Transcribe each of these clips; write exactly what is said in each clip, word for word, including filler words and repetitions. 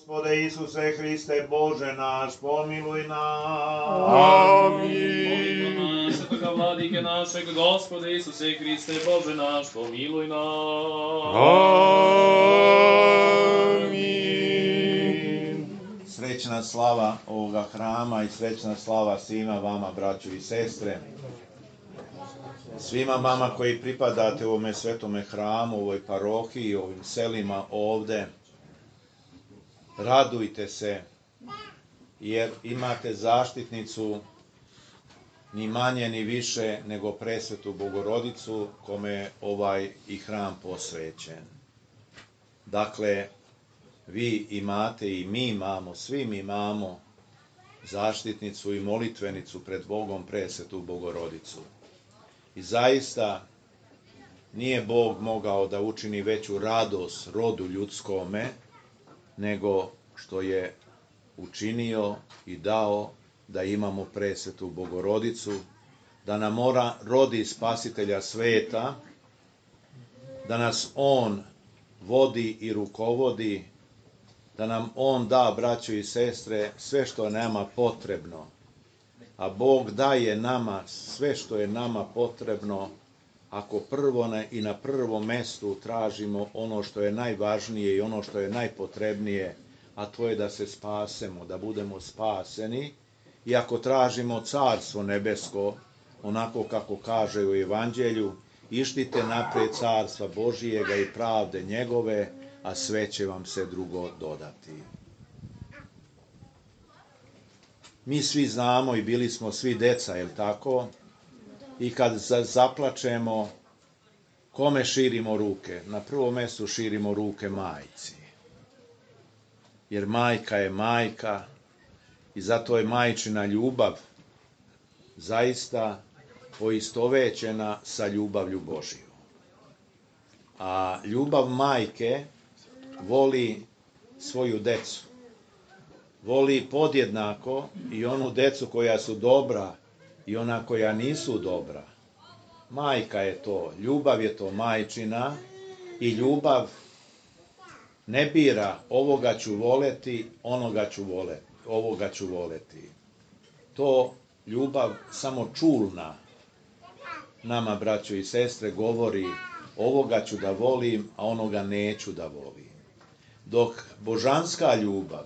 Gospode Isuse Hriste, Bože naš, pomiluj nas. Amin. Molitva nas, svetoga vladike našeg, Gospode Isuse Hriste, Bože naš, pomiluj nas. Amin. Srećna slava ovoga hrama i srećna slava svima vama, braćo i sestre. Svima vama koji pripadate ovome svetome hramu, ovoj parohiji, ovim selima ovde. Radujte se, jer imate zaštitnicu ni manje ni više nego presvetu Bogorodicu, kome je ovaj i hram posvećen. Dakle, vi imate i mi imamo, svi mi imamo zaštitnicu i molitvenicu pred Bogom, presvetu Bogorodicu. I zaista nije Bog mogao da učini veću radost rodu ljudskome, nego što je učinio i dao da imamo presvetu Bogorodicu, da nam mora rodi spasitelja sveta, da nas on vodi i rukovodi, da nam on da, braćo i sestre, sve što je nama potrebno. A Bog daje nama sve što je nama potrebno, ako prvo ne, i na prvom mestu tražimo ono što je najvažnije i ono što je najpotrebnije, a to je da se spasemo, da budemo spaseni. I ako tražimo carstvo nebesko, onako kako kaže u Evanđelju, ištite napred carstva Božijega i pravde njegove, a sve će vam se drugo dodati. Mi svi znamo i bili smo svi deca, jel tako? I kad zaplačemo, kome širimo ruke? Na prvom mjestu širimo ruke majci. Jer majka je majka i zato je majčina ljubav zaista poistovećena sa ljubavlju Božiju. A ljubav majke voli svoju decu. Voli podjednako i onu decu koja su dobra i ona koja nisu dobra. Majka je to, ljubav je to majčina i ljubav ne bira ovoga ću voleti, onoga ću voleti, ovoga ću voleti. To ljubav samo čulna nama, braćo i sestre, govori ovoga ću da volim, a onoga neću da volim. Dok božanska ljubav,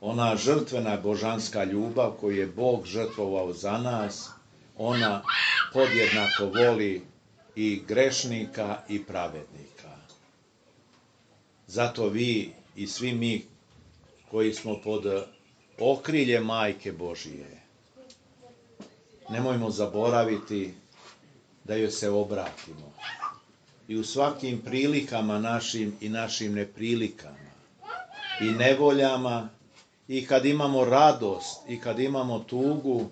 ona žrtvena božanska ljubav koju je Bog žrtvovao za nas, ona podjednako voli i grešnika i pravednika. Zato vi i svi mi koji smo pod okrilje Majke Božije, nemojmo zaboraviti da joj se obratimo. I u svakim prilikama našim i našim neprilikama i nevoljama, i kad imamo radost, i kad imamo tugu,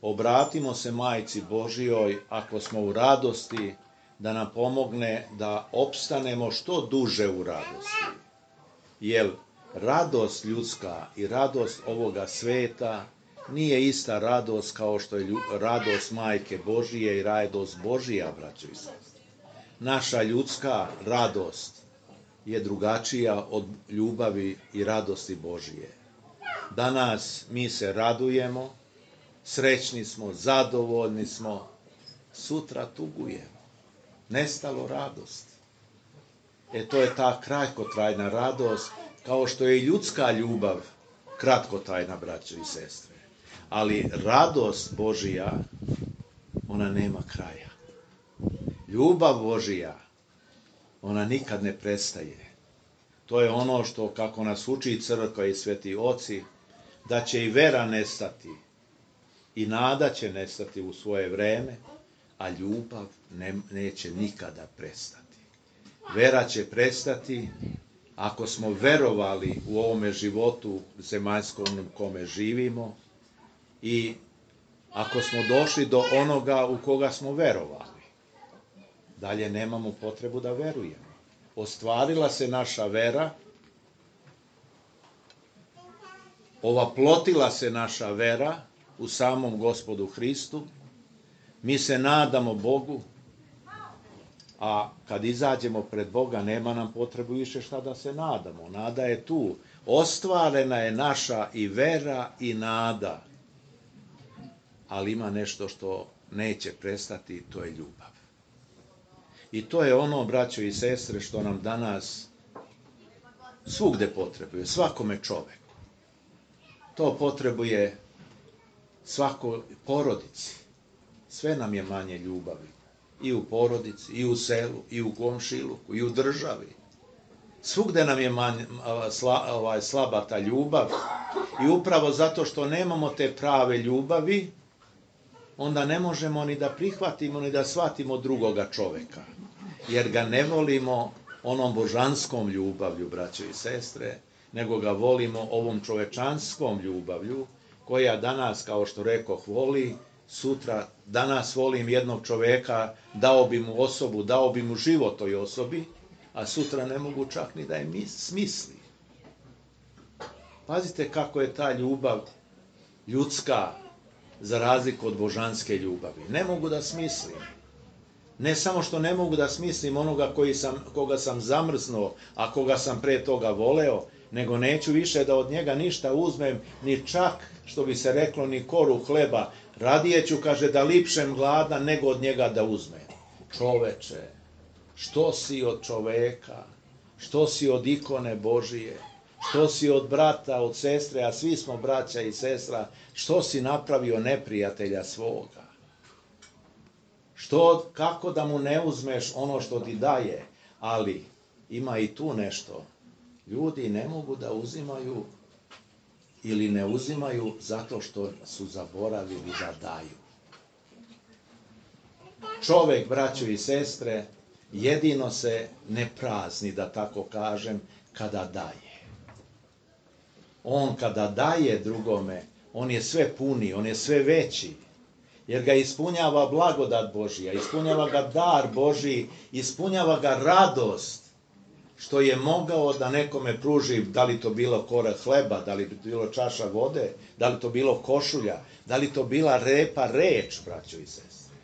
obratimo se Majci Božijoj, ako smo u radosti, da nam pomogne da opstanemo što duže u radosti. Jer radost ljudska i radost ovoga sveta nije ista radost kao što je radost Majke Božije i radost Božija, braćo i sestre. Naša ljudska radost je drugačija od ljubavi i radosti Božije. Danas mi se radujemo, srećni smo, zadovoljni smo, sutra tugujemo. Nestalo radost. E to je ta kratkotrajna radost, kao što je i ljudska ljubav kratkotrajna, braćo i sestre. Ali radost Božija, ona nema kraja. Ljubav Božija, ona nikad ne prestaje. To je ono što, kako nas uči crkva i sveti oci, da će i vera nestati i nada će nestati u svoje vreme, a ljubav ne, neće nikada prestati. Vera će prestati ako smo verovali u ovome životu zemaljskom u kome živimo i ako smo došli do onoga u koga smo verovali. Dalje nemamo potrebu da verujemo. Ostvarila se naša vera, ovaplotila se naša vera u samom Gospodu Hristu, mi se nadamo Bogu, a kad izađemo pred Boga nema nam potrebu više šta da se nadamo. Nada je tu. Ostvarena je naša i vera i nada, ali ima nešto što neće prestati, to je ljubav. I to je ono, braćo i sestre, što nam danas svugde potrebuje, svakome čoveku. To potrebuje svakoj porodici. Sve nam je manje ljubavi. I u porodici, i u selu, i u komšiluku, i u državi. Svugde nam je manje, sla, ovaj, slaba ta ljubav. I upravo zato što nemamo te prave ljubavi, onda ne možemo ni da prihvatimo, ni da shvatimo drugoga čoveka. Jer ga ne volimo onom božanskom ljubavlju, braćo i sestre, nego ga volimo ovom čovečanskom ljubavlju, koja danas, kao što rekoh, voli, sutra, danas volim jednog čoveka, dao bi mu osobu, dao bi mu život toj osobi, a sutra ne mogu čak ni da je smisli. Pazite kako je ta ljubav ljudska, za razliku od božanske ljubavi. Ne mogu da smislim. Ne samo što ne mogu da smislim onoga koji sam, koga sam zamrznuo, a koga sam pre toga voleo, nego neću više da od njega ništa uzmem, ni čak, što bi se reklo, ni koru hleba. Radije ću, kaže, da lipšem gladan nego od njega da uzmem. Čoveče, što si od čoveka, što si od ikone Božije, što si od brata, od sestre, a svi smo braća i sestra, što si napravio neprijatelja svoga? Što, kako da mu ne uzmeš ono što ti daje? Ali ima i tu nešto. Ljudi ne mogu da uzimaju ili ne uzimaju zato što su zaboravili da daju. Čovek, braćo i sestre, jedino se ne prazni, da tako kažem, kada daje. On kada daje drugome, on je sve puni, on je sve veći, jer ga ispunjava blagodat Božija, ispunjava ga dar Božiji, ispunjava ga radost, što je mogao da nekome pruži, da li to bilo kora hleba, da li to bilo čaša vode, da li to bilo košulja, da li to bila repa reč, braćo i sestre.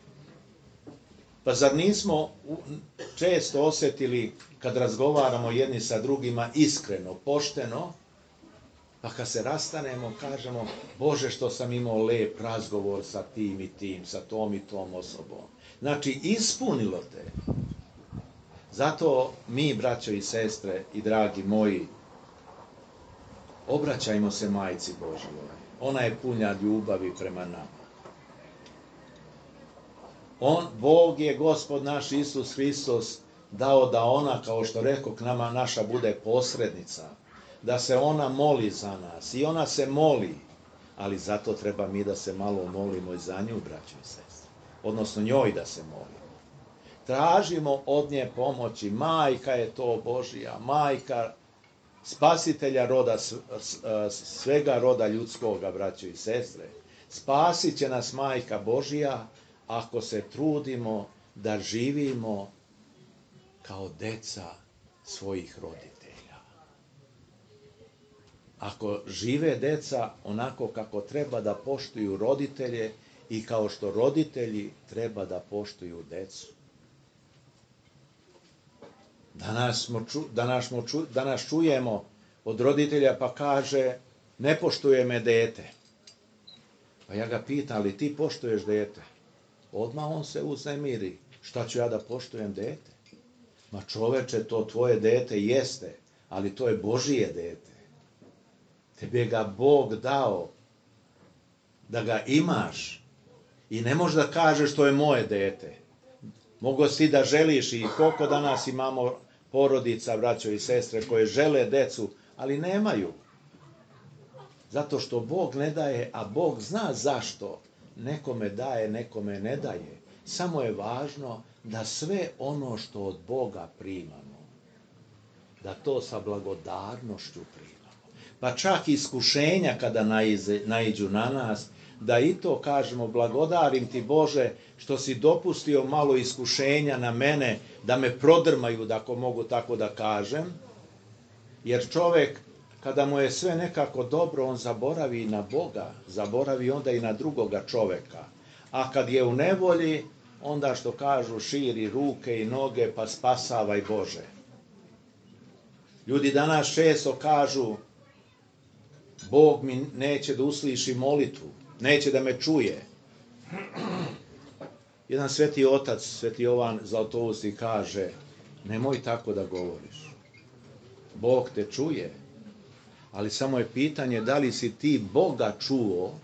Pa zar nismo često osetili, kad razgovaramo jedni sa drugima, iskreno, pošteno, pa kad se rastanemo, kažemo, Bože, što sam imao lep razgovor sa tim i tim, sa tom i tom osobom. Znači, ispunilo te. Zato mi, braćo i sestre i dragi moji, obraćajmo se Majci Božjoj. Ona je puna ljubavi prema nama. On, Bog je, Gospod naš Isus Hristos, dao da ona, kao što rekao, k nama naša bude posrednica, da se ona moli za nas. I ona se moli, ali zato treba mi da se malo molimo i za nju, braćo i sestre. Odnosno njoj da se molimo. Tražimo od nje pomoći. Majka je to Božija, majka spasitelja roda, svega roda ljudskoga, braćo i sestre. Spasit će nas majka Božija ako se trudimo da živimo kao deca svojih roditelja. Ako žive deca onako kako treba da poštuju roditelje i kao što roditelji treba da poštuju decu. Danas, smo ču, danas, smo ču, danas čujemo od roditelja pa kaže, ne poštuje me dete. Pa ja ga pitam, ali ti poštuješ dete? Odmah on se uznemiri. Šta ću ja da poštujem dete? Ma čoveče, to tvoje dete jeste, ali to je Božije dete. Tebe ga Bog dao da ga imaš i ne možeš da kažeš to je moje dete. Mogu si da želiš i koliko danas imamo porodica, braćo i sestre, koje žele decu, ali nemaju. Zato što Bog ne daje, a Bog zna zašto. Nekome daje, nekome ne daje. Samo je važno da sve ono što od Boga primamo, da to sa blagodarnošću primamo. Pa čak iskušenja kada naize, naiđu na nas, da i to kažemo, blagodarim ti Bože što si dopustio malo iskušenja na mene, da me prodrmaju, da ako mogu tako da kažem, jer čovek kada mu je sve nekako dobro, on zaboravi na Boga, zaboravi onda i na drugoga čoveka. A kad je u nevolji, onda što kažu, širi ruke i noge, pa spasavaj Bože. Ljudi danas često kažu, Bog mi neće da usliši molitvu, neće da me čuje. Jedan sveti otac, sveti Jovan Zlatousti kaže, nemoj tako da govoriš. Bog te čuje, ali samo je pitanje da li si ti Boga čuo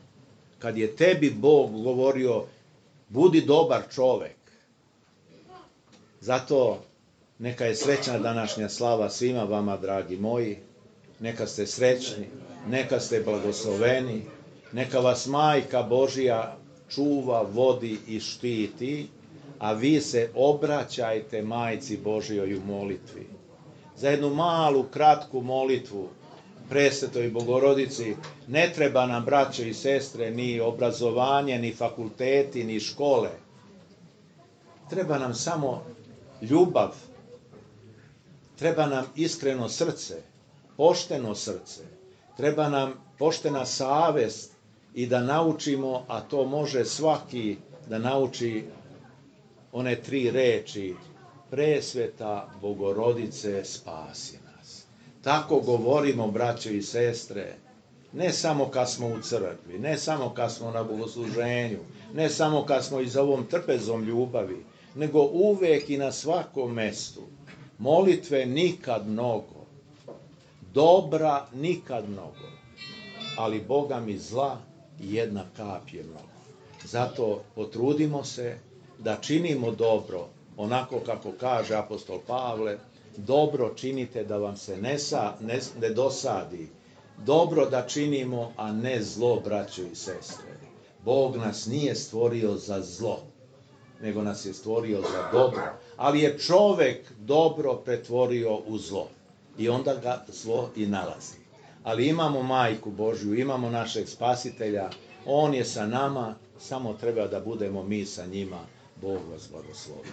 kad je tebi Bog govorio budi dobar čovek. Zato neka je srećna današnja slava svima vama, dragi moji. Neka ste srećni, neka ste blagosloveni, neka vas Majka Božija čuva, vodi i štiti, a vi se obraćajte Majci Božijoj u molitvi. Za jednu malu, kratku molitvu Presvetoj Bogorodici ne treba nam, braćo i sestre, ni obrazovanje, ni fakulteti, ni škole. Treba nam samo ljubav, treba nam iskreno srce, pošteno srce, treba nam poštena savest i da naučimo, a to može svaki da nauči one tri reči, Presveta Bogorodice spasi nas. Tako govorimo, braćo i sestre, ne samo kad smo u crkvi, ne samo kad smo na bogosluženju, ne samo kad smo i za ovom trpezom ljubavi, nego uvek i na svakom mestu. Molitve nikad mnogo, dobra nikad mnogo, ali Boga mi zla jedna kap je mnogo. Zato potrudimo se da činimo dobro, onako kako kaže apostol Pavle, dobro činite da vam se ne, sa, ne, ne dosadi, dobro da činimo, a ne zlo, braćo i sestre. Bog nas nije stvorio za zlo, nego nas je stvorio za dobro, ali je čovek dobro pretvorio u zlo i onda ga zlo i nalazi. Ali imamo Majku Božju, imamo našeg Spasitelja, On je sa nama, samo treba da budemo mi sa njima. Bog vas blagoslovi.